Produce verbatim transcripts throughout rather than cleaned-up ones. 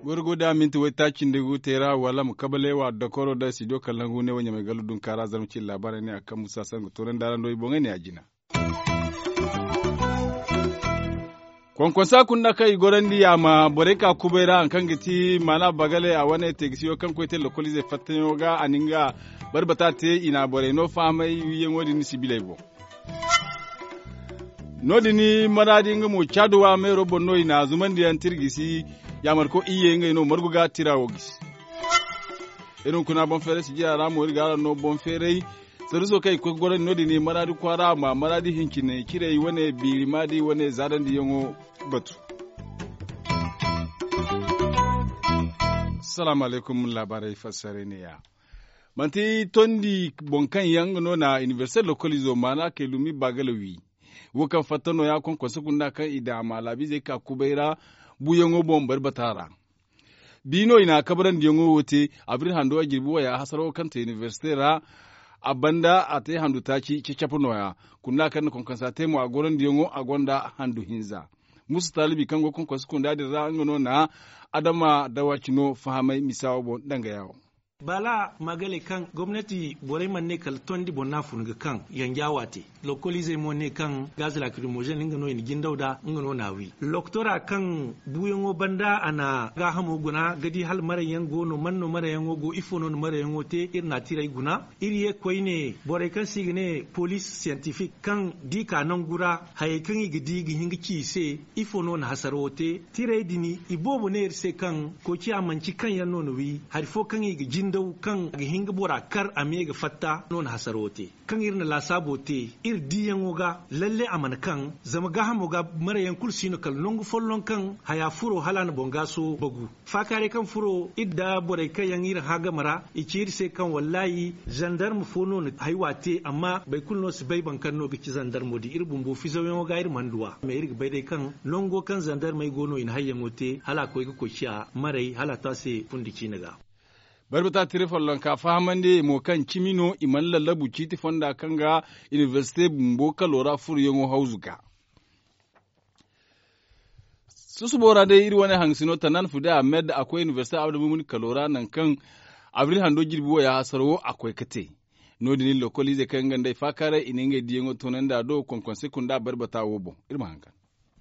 Gorgo da minti waytaaci nda gu teera wala ma kabale wa dokoro da studio kalangu ne wo ɲamay gallu dunkaara zarma cine laabaarey ne a kaŋ musa sangu toonandi araŋ do i boŋey ne a jina. Konkonsa kunda kaŋ i gorandi a ma borey ka kubay ra hari kaŋ ga ti maana bagale a wane teegisiyo kaŋ koy te lokoliizey fattayaŋo ga a na nga barbata te i na borey no fahamay wiiyaŋo din sibiley boŋ. No- din maraadi nga mo caadu wa meero boŋ no i na zumandiyaŋ tirgisi yaamarko iyye ngey no margu ga tira wo gisi. Iri hunkuna boŋ feeray sijira ra mo iri ga araŋ no boŋ feeray saruso kaŋ i koy ga gorandi no- din maraadi kwaara ma maraadi hincine cirey wane biiri maadi wane zaadandiyaŋo batu. Salaamu alaykum laabaarey fassarey ne ya. Manti tondi boŋ kaŋ yaŋ nga no na inibersite lokoliizo maana kay lumi baagala wi. Wo kaŋ fatta nooya konkonse kunda kaŋ i daŋ a ma laabiizey ka kubay ra buuyaŋo boŋ bari bata ra. Bi no i na kabarandiyaŋo wo te abril hando a jirbi waya hasaro kaŋ te inibersite ra. A banda a te handu taaci cacap nooya kunda kaŋ na konkonsa te mo a gorandiyaŋo a gonda handu hinza. Musa taalibi kaŋ go konkonse kunda din ra nga no na adama dawaci no fahamay misa wo boŋ danga yawo. Baala magale kaŋ gomnati borey mana ne kala tondi boŋ no a fun ga kaŋ yanja waate. Lokoliizey mo ne kaŋ gaz lakrimozin nga no i na jindaw nd'a nga no na a wi. Loktora kaŋ buuyaŋo banda a na gaahamo guna ga di hala marayyaŋ go no man no marayyaŋo go ifo no na marayyaŋo te iri na a tiray guna. Iri ye koyne borey kaŋ se i ga ne poliis siyantifik kaŋ da i ka nangu ra hayey kaŋ i ga di ga hin ga ci i se. Ifo no na hasarawo te tiray din i boobo ne iri se kaŋ koociya manci kaŋ yaŋ no na wi hari fo kaŋ i ga jindaw kaŋ ga hin ga bora kar a me ga fatta no na hasarawo te. Kaŋ iri na laasaabo te iri diiyaŋo ga lalle a mana kaŋ zama gaahamo ga marayaŋ kulu si no kala nangu folloŋ kaŋ haya furo hala a na boŋ gaaso bagu. Faakaaray kaŋ furo iri nda borey kaŋ yaŋ iri hã game ra i ci iri se kaŋ wallaahi zandarma fo no na haywa te amma boro kulu no si bay boro kaŋ no ga ci zandarmo din iri bumbo fizawyaŋo ga iri mana du a mais iri ga bay day kaŋ nango kaŋ zandarmey go no i na hayyaŋo te hala a koy ga koy ciya maray hala a to a se fundi ciine ga. Barbata tira follonka fahamandi mo kaŋ cimi no i mana lallabu ciiti fonda kaŋ ga inibersite bumbo kalo ra furoyaŋo hawzu ga. Susubo ra day iri wane hangasino tanan fude ahmed a koy inibersite abdulmumin kalo ra nangu kaŋ abril hando jirbi wo ya hasaro wo a koy ga te. No- din iri lokoliizey kaŋ nga nd'ey faakaaray i na ngey diyaŋo toonandi a do konkonse kunda barbata wo boŋ. Iri ma haŋ kaŋ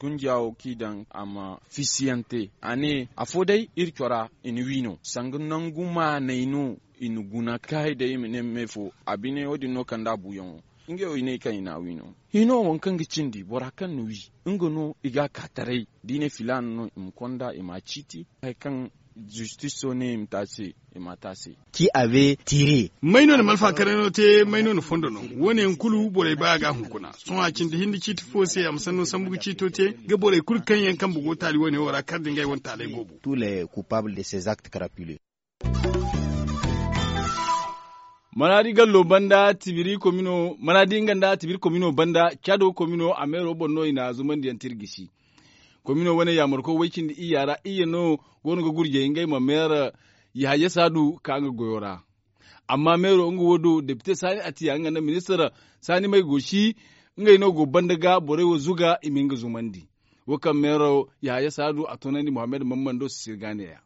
gunjiya wo kaŋ i daŋ a ma fiisiyante a ne afo day iri cora i na wi no sanga nangu maaney no i na guna kaay day i ma ne me fo a bine wo- din no kand'a buuyaŋo. Ngey wo i ne kaŋ i na a wi no hino waŋ kaŋ ga cindi bora kaŋ na wi nga no i ga a ka taray da i ne filaana no i ma konda i ma a ciiti hari kaŋ zistiso ne i ma te a se i ma a te a se. Ci a be tiire. May no na malfa karano te may no na fondo no? Wo- ne yaŋ kulu borey ba a ga hunkuna sohõ a cindi hinne ciiti fo se a ma sanno sambu ga ciito te ga borey kulu kaŋ yaŋ kambe go taali wo- ne wo ra kar nda ngey wane taaley goobo. Tous les coupables de ces actes crapuleux. Maraadi gallo banda tibiri komino maraadi nga nda tibiri komino banda caado komino a meero boŋ no i na zumandiyaŋ te iri gisi. Komino wane yaamarko way cindi iyya ra iyya no go no ga gurjay ngey ma meera yahaya saadu ka nga goyo ra. Amma meero nga wo do depite saani atiya nga nda ministir saani may go si ngey no go banda ga borey wo zuga i ma hin ga zumandi. Wo kaŋ meero yahaya saadu a toonandi muhammad mammando si sirga neeya.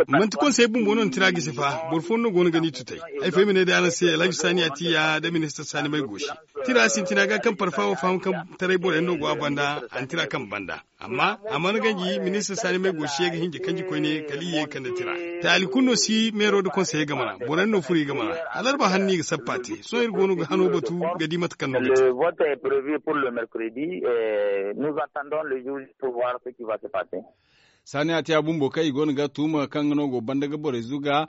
Manti konsey bumbo no na tira gisi fa boro fooyaŋ no go no ga ni tutay. Ay fo ay ma ne day araŋ se alhaji saani atiya nda ministir saani may go si tira sintina ga kaŋ parfa wo faham kaŋ taray boroyaŋ no go a banda a na tira kaŋ banda. Amma a mana ganji ministir saani may go si ye ga hinji kanji koyne kala i ye ga kande tira. Taali kulu no si meero nda konsey game ra boroyaŋ no furo i game ra. Alarba hanno i ga sappa te sohõ iri go no ga hano batu ga di mate kaŋ no ga te. Saani a te a bumbo kaŋ i go no ga tuuma kaŋ nga no go banda ga borey zuga.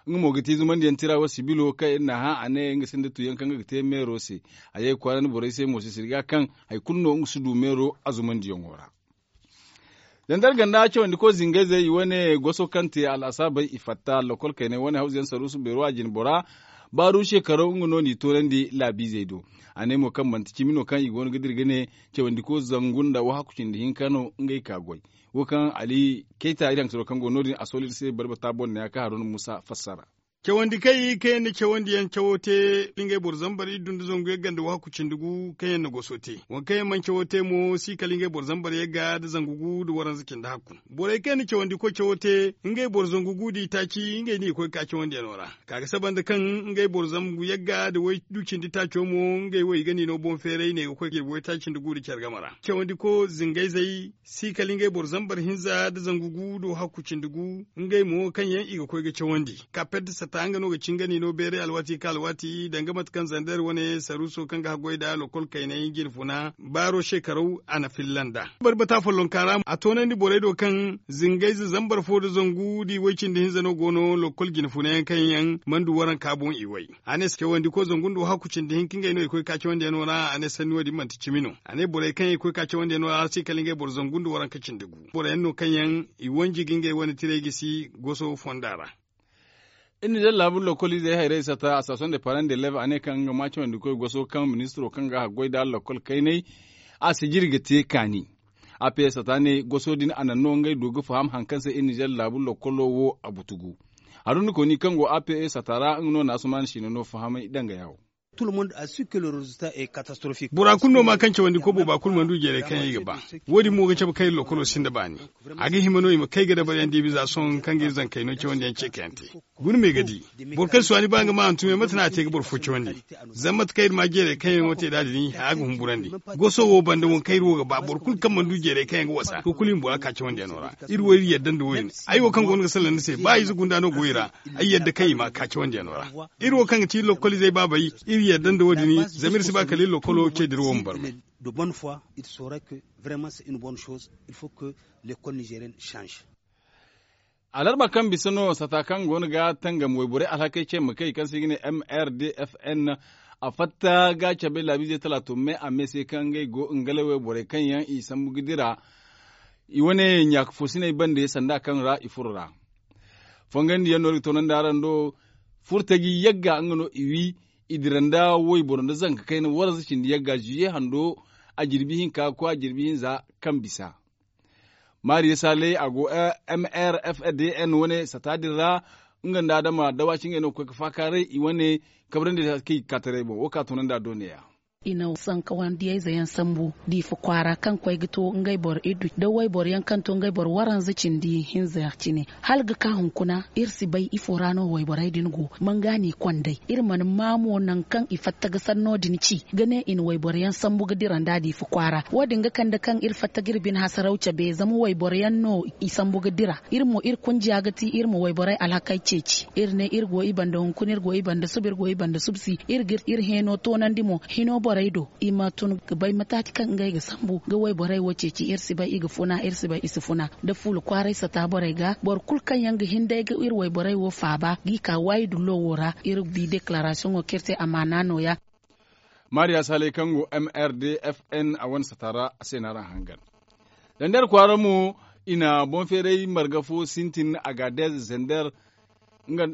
Nga mo ga te zumandiyaŋ tira wo sibilo kaŋ iri n'a hã a ne nga sinda tuyaŋ kaŋ nga ga te meero se. A ye ga kwaara ni borey se mo se sirga kaŋ hari kulu no nga si du meero a zumandiyaŋo ra. Zandar ganda cawandi koy zingayzey i wane goso kaŋ te alasaabey i fatta lokol kaynay wane hawzuyaŋ saruusu beero a jine bora. Baaru shekaraw nga no n'i toonandi laabiizey do. A ne mo kaŋ manti cimi no kaŋ i go no ga dira ga ne cawandiko zangu nda wahakku cindi hinka no ngey ka goy. Wo kaŋ ali kayta iri hangasaro kaŋ go no- din a soolay iri se balbata boŋ ne ya kaŋ haruna muusa fassara. Cawandi kaŋ i kaŋ yaŋ na cawandi yaŋ cawo te, ngey boro zambar iddu nda zangu yagga nda wahakku cindi gu kaŋ yaŋ na goso te. Waŋ kaŋ yaŋ mana cawo te mo si kala ngey boro zambar yagga nda zangu gu nda waranza cindi hakku. Borey kaŋ yaŋ na cawandiko cawo te, ngey boro zangu gu nda itaaci ngey no i ga koy ga ka cawandiyaŋo ra. Ka ga saba nda kaŋ ngey boro zangu yagga nda waydu cindi taaco mo ngey wo i ga no i no boŋ feeray ne ga koy ga jirbi waytaaci nda gu nda care game ra. Cawandiko zingayzey si kala ngey boro zambar hinza nda zangu gu nda wahakku cindi gu. Ngey mo kaŋ yaŋ i ga koy ga cawandi. Kapet sata nga no ga cingani no beeray alwaati ka alwaati danga mate kaŋ zander wane saruuso kaŋ ga haggoy nda lokol kaynay jine funa baaro shekaraw a na filla nd'a. Barbata follonka ra a toonandi borey do kaŋ zingayze zambar fo nda zangu nda i way cindi hinza no go no lokol jine funa yaŋ kaŋ yaŋ mana du waranka boŋ i way. A ne cawandiko zangu nda wahakku cindi hinka ngey no i koy ga ka cawandiyaŋo ra a ne sanni wo- din manti cimi no. A ne borey kaŋ yaŋ i koy ga ka cawandiyaŋo ra si kala ngey boro zangu nda waranka cindi gu boro yaŋ no kaŋ yaŋ i wanji ga ngey wane tiray gisi goso fonda ra. Iri na daŋ laabu lokoliizey hayrey sata a station de parent de leve a ne kaŋ nga ma cawandikoy goso kaŋ ministiro kaŋ ga haggoy nda lokol kaynay a sijiri ga te kaani. A p s sata ne goso din a naŋ no ngey du ga faham hari kaŋ se iri na daŋ laabu lokolo wo a butugu. Haruna kooni kaŋ go a p s sata ra nga no na asuman siina no fahamay danga yaawo. Bora kulu no ma kaŋ cawandi kobo ba kulu mana du jeeray kaŋ yaŋ i ga ba. Wo- din mo ga cabe kaŋ iri lokolo sinda baani. A ga hima no i ma kay ga dabaryaŋ diibi za sohõ kaŋ ga iri zankey no cawandi yaŋ ce kaŋ yaŋ te. Guna me ga di boro kaŋ si waani ba nga ma hantumay mate no a te ga boro fo cawandi. Zama mate kaŋ iri ma jeeray kaŋ yaŋo te nd'a din a ga humburandi. Goso wo banda waŋ kaŋ iri wo ga ba boro kulu kaŋ mana du jeeray kaŋ yaŋ ga wasa kulu i ma bora ka cawandiyaŋo ra. Iri wo iri yadda nda wo- din. Ay wo kaŋ go no ga salaŋ ni se ba ize gunda no go i ra. Ay yadda kaŋ i ma ka cawandiyaŋo ra. Iri wo kaŋ ga ti iri lokoliizey baabey iri yadda nda wo- din zama iri si ba kala iri lokolo ce dira wo ma barmay. Alarba kaŋ bisa no sata kaŋ go no ga tangam wayborey alhakey ce ma kay kaŋ se i ga ne m r d f n. A fatta ga cabe laabiizey talaato me a me se kaŋ ngey go ngale wayborey kaŋ yaŋ i sambu ga dira i wane ɲaaka foosiney bande sanda kaŋ ra i furo ra. Fongandiyaŋ no iri ga toonandi araŋ do furtaji yagga nga no i wi i dira nda wayboro nda zanka kayna waranza cindi yagga ziye hando a jirbi hinka ga koy a jirbi hinza kaŋ bisa. Maariya saalay a go m r f d n wane sata din ra. Nga nda adama dawaci ngey no ga koy ga faakaaray i wane kabrandi kaŋ i ga ka taray boŋ wo kaŋ a toonandi a do neeya. I na sankawandiyayze yaŋ sambu diifa kwaara kaŋ koy ga to ngey boro iddu da wayboro yaŋ kaŋ to ngey boro waranza cindi hinza cine. Hala ga ka hunkuna iri si bay ifo ra no wayborey din go manga no i kond'ey. Iri mana maa mo nangu kaŋ i fatta ga sanno din ci ga ne i na wayboro yaŋ sambu ga dira nda diifa kwaara wo- din ga kande kaŋ iri fatta ga iri bine hasaraw cabe zama wayboro yaŋ no i sambu ga dira. Iri mo iri kunjiya ga ti iri ma wayborey alhakey ceeci iri ne iri go i banda hunkuna iri go i banda suba iri go i banda suba si iri ga iri heeno toonandi mo hino borey do. I ma tun ga bay mataati kaŋ ngey ga sambu ga wayborey wo ceeci iri si bay i ga funa iri si bay i si funa da fuula kwaaray sata borey ga boro kulu kaŋ yaŋ ga hin day ga iri wayborey wo faaba ga i ka waayi dullo wo ra iri bi deklaraasiyoŋo kaŋ iri te amaana nooya. Maariya saalay kaŋ go m r d f n a wane sata ra a se no araŋ hangan. Zandar kwaara mo i na boŋ feeray marga fo sintin agaadez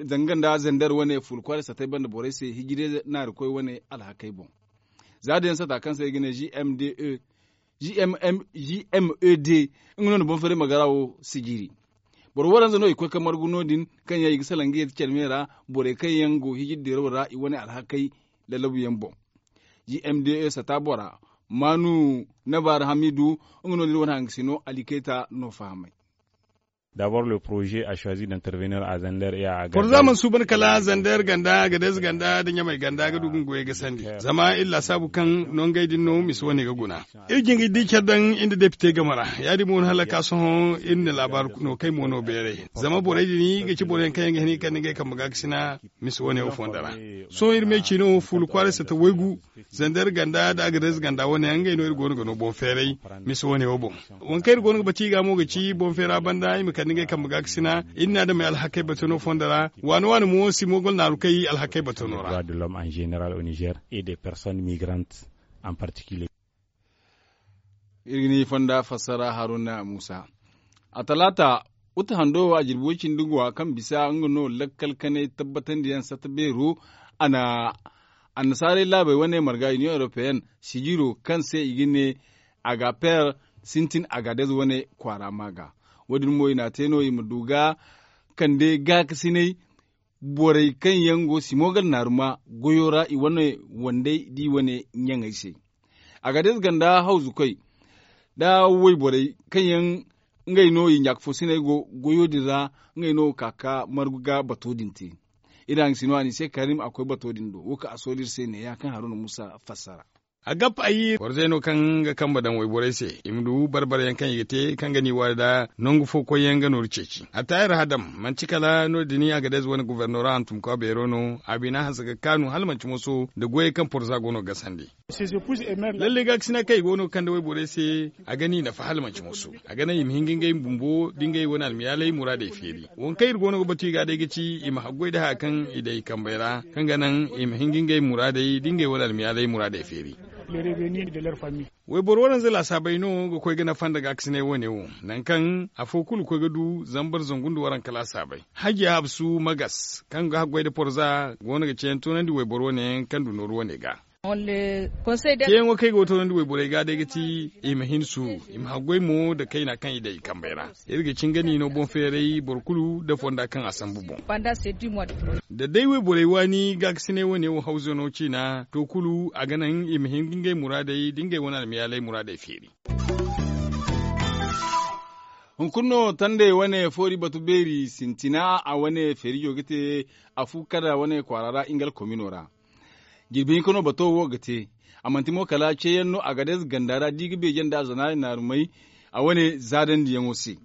zanga nda zandar wane fuula kwaaray satey banda borey se hijire naarikoy wane alhakey boŋ. Za da yaŋ sata kaŋ se i ga ne g m d e g m e d nga no na boŋ feeray marga ra wo sijiri. Boro waranza no i koy ga margu no- din kaŋ yaŋ i ga salaŋ ga yadda care me ra borey kaŋ yaŋ go hijiri diraw ra i wane alhakey lallabu yaŋ boŋ. G m d e sata bora maanu nabaari hamiidu nga no- din wane hangasino alikayta no fahamay. D'abord le projet a choisi d'intervenir à zander et à agadez. Porza mana suuban kala zander ganda agadez ganda nda ɲamay ganda ga du ga nga goyey gasandi zama iri laasaabu kaŋ nongey din no misa wane ga guna. Iri jin ga di care daŋ iri nda depite game ra ya- din mo no hala ga ka sohõ iri na laabaari no kay mo no beeray zama borey din ga ci boro yaŋ kaŋ yaŋ ga hin ga kande ngey kambe ga ga sina misa wane wo fonda ra. Sohõ iri me ciino fuula kwaaray sata waygu zander ganda nda agadez ganda wane yaŋ ngey no iri go no ga no boŋ feeray misa wane wo boŋ. Waŋ kaŋ iri go no ga bati i ga mo ga ci boŋ feera banda i ma kande ngey kambe ga ga sina iri na adamey alhakey batono fonda ra. Waane waane mo si mogol naaru kay alhakey batono ra. Droit de l'homme en général au niger et des personnes migrantes en particulier. Iri ga ni fonda fassara haruna muusa. A talaata uta hando a jirbi way cindi guwa kaŋ bisa nga no lakkal kanay tabbatandiyaŋ sata beero. A na annasaarey laabey wane marga union européenne sijiro kaŋ se i ga ne, agaper, sintin agadez wane kwaara ma ga. Wo- din mo i n'a te no i ma du ga kande gaakasinay borey kaŋ yaŋ go simo gala naaruma goyo ra i wane wandey da i wane ɲaŋey se. Agadez ganda hawzukoy nda wayborey kaŋ yaŋ ngey no i ɲaakafoosiney go goyo din ra, ngey no ga ka ga margu ga bato din te. Iri haŋ si no a n'i se karim a koy bato din do wo kaŋ a sooli iri se neeya kaŋ haruna muusa fassara. A gab ay porze no kaŋ ga kambe daŋ wayborey se i ma du barbarayaŋ kaŋ i ga te kaŋ ga n'i waari nda nangu fo koyyaŋ ga nooru ceeci a taayir hadam. Manti kala no- din agadez wane gofornora hantumkwa beero no a bina hanse ga kaanu hala manti moso nda goyey kaŋ porza go no ga gasandi. Lalle gaakasina kaŋ i go no ga kande wayborey se a ga n'i nafa hala manti moso. A ga naŋ i ma hin ga ngey bumbo da ngey wane almiyaalay muraadey feeri. Waŋ kaŋ iri go no ga batu i ga day ga ci i ma haggoy nda haya kaŋ i daŋ i kambey ra kaŋ ga naŋ i ma hin ga ngey muraadey da ngey wane almiyaalay muraadey feeri. Wayboro waranza laasaabey no ga koy ga nafa nda gaakasinay wane wo, nangu kaŋ afo kulu ga koy ga du zambar zangu nda waranka laasaabey. Hajiya habsu magas kaŋ ga haggoy nda porza go no ga ceeyaŋ toonandi wayboro wane yaŋ kaŋ du nooru wane ga. Ceeyaŋo kaŋ ay go ga toonandi wayborey ga day ga ti i ma hin suuru, i ma haggoy mo nda kayna kaŋ i daŋ i kambey ra. Iri ga cin ga ni no boŋ feeray boro kulu nda fonda kaŋ a sambu boŋ. Da day wayborey waani gaakasinay wane wo hawzano ciina to kulu a ga naŋ i ma hin ga ngey muraadey da ngey wane almiyaalay muraadey feeri. Hunkuna no tandey wane foori batu beeri sintina a wane feerijo ga te afu kada wane kwaara ra ingal komino ra. Jirbi hinka no bato wo ga te. A manti mo kala ceeyaŋ no agadez ganda ra da i ga beeje nda a zana naarumey a wane zaadandiyaŋo se.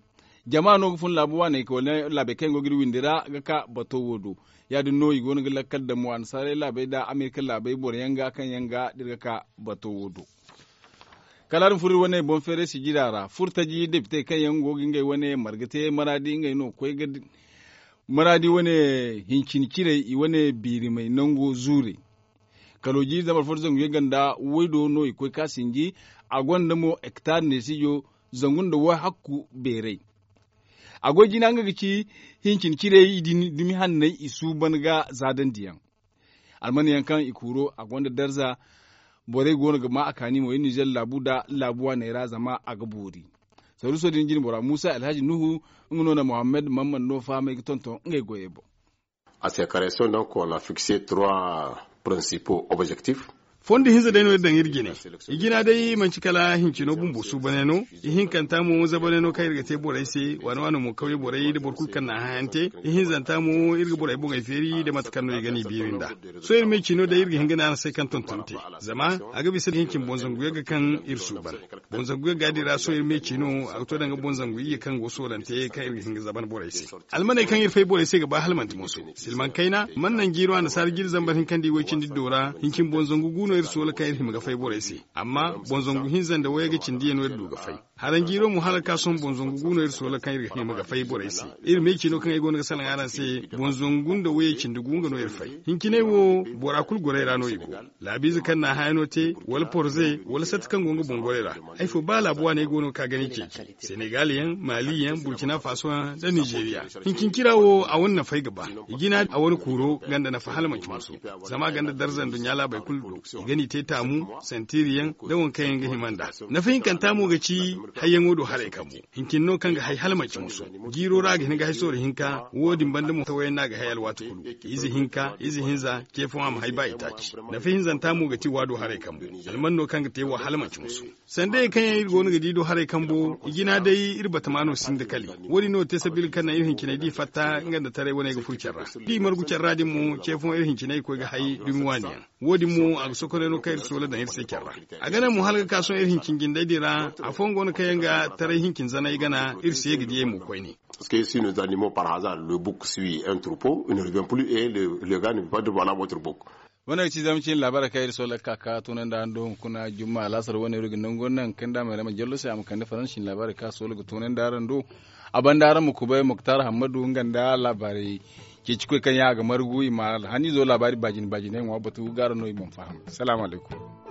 Jama no ga fun laabu waaney ka wala laabey kaŋ yaŋ go ga iri windi ra ga ka bato wo do. Ya- din no i go no ga lakkal daŋ mo annasaarey laabey nda amerika laabey boro yaŋ ga kaŋ yaŋ ga da iri ga ka bato wo do. Kala a din furo iri wane boŋ feeray sijira ra furtaji depitey kaŋ yaŋ go ga ngey wane marga te maraadi ngey no ga koy ga maraadi wane hincin cirey i wane biirimey nango zuurey. Kalooji zambar fo nda zangu yaŋ ganda waydo no i koy ka sinji. A gonda mo hektar neesijo zangu nda wahakku beeray. A goy jina nga ga ci hincin cirey dumi hanney i suuban ga zaadandiyaŋ. Almanyaŋ kaŋ i kuuro a gonda darza. Borey go no ga ma a kaani mo iri nizer laabu nda laabu waaney ra zama a ga boori. Saruuso din jinbora muusa alhaji nuhu nga no na mohammed mamman no fahamay ga tonton ngey goyey boŋ. A se kareso nanko na fikse trois principaux objectifs. Fondo hinza day no iri daŋ iri jine. I jina day manti kala hincino bumbo suubanay no. Ihinkanta mo zabanay no kaŋ iri ga te borey se waano waano mo kawye borey nda boro kulu kaŋ na a hayante. Ihinzanta mo iri ga borey boŋey feeri nda mate kaŋ no i ga n'i biiri nd'a. Sohõ iri me ciino day iri ga hin ga ne araŋ se kaŋ tonton te. Zama a ga bisa hincin boŋ zangu yagga kaŋ iri suuban. Boŋ zangu yagga din ra sohõ iri me ciino a ga to danga boŋ zangu iyye kaŋ go soolante kaŋ iri ga hin ga zaban borey se. Almaney kaŋ iri fay borey se ga ba hala manti mooso. Silmaŋ kayna mana naŋ jiiro annasaara jiiri zambar hinka nda iway cindi do ra hincin boŋ zangu gu no iri soola kaŋ iri hima ga fay borey se. Amma boŋ zangu hinza nda wayey ga cindi yaŋ no iri du ga fay. Haranjiiro mo hala ga ka sohõ boŋ zangu gu no iri soola kaŋ iri ga hima ga fay borey se. Iri me ciino kaŋ ay go no ga salaŋ araŋ se boŋ zangu nda wayey cindi gu nga no iri fay. Hinciney wo bora kulu gorey ra no i go. Laabiize kaŋ na a hayano te wala porze wala satti kaŋ go nga boŋ gorey ra. Ay fo ba laabu waaney go no ga ka ga ni ceeci senegal yaŋ mali yaŋ burkina faso yaŋ nda nizeeriya. Hincin cira wo a wane nafay ga ba. I jina a wane kuuro ganda nafa hala manci mooso. Zama a ganda darza nduɲɲa laabey kulu do. I ga ni te taamu santiri yaŋ nda waŋ kaŋ yaŋ ga hima nd'a. Nafa hinkanta mo ga ci hayyaŋo do haray kambo. Hincin no kaŋ ga hay hala manci mooso. Jiiro ra a ga hin ga hay sooro hinka wo- din banda mo tawayaŋ no a ga hay alwaati kulu. Ize hinka ize hinza ce fo a ma hay ba itaaci. Nafa hinzanta mo ga ti waado haray kambo. Alman no kaŋ ga te wa hala manci mooso. Sandayey kaŋ yaŋ iri go no ga di do haray kambo i jina day iri batama no sinda kali. Wo- din no te sabila kaŋ naŋ iri hinciney da i fatta nga nda taray wane ga furo care ra. Da i margu care ra din mo ce fooyaŋ iri hinciney ga koy ga hay dumi waani yaŋ. Wo- din mo a ga sokonay no kaŋ iri soola daŋ iri se care ra. A ga naŋ mo hala ga ka sohõ iri hincin jindey din ra. Afooyaŋ go no kaŋ yaŋ ga taray hincin zanay gana iri se ga diyey mo koyne. Parce que si nous animons par hasard le bouc suit un troupeau il ne revient plus et le gars ne veut pas de voilà votre bouc. Wane ga ci zama cine laabaarey kaŋ iri soola ga ka ga toonandi araŋ do hunkuna jumma alaasar wane iri ga nangu naŋ kaŋ da a ma iri ma jallo se a ma kande faransi cine laabaarey kaŋ a soola ga toonandi araŋ do. A banda araŋ ma kubay moktar hammadu nga nda laabaarey ceecikoy kaŋ yaŋ a ga margu i ma alhaniizo laabaari baajine baajine ŋwa batu ga araŋ no i mana faham. Salaamu alaykum.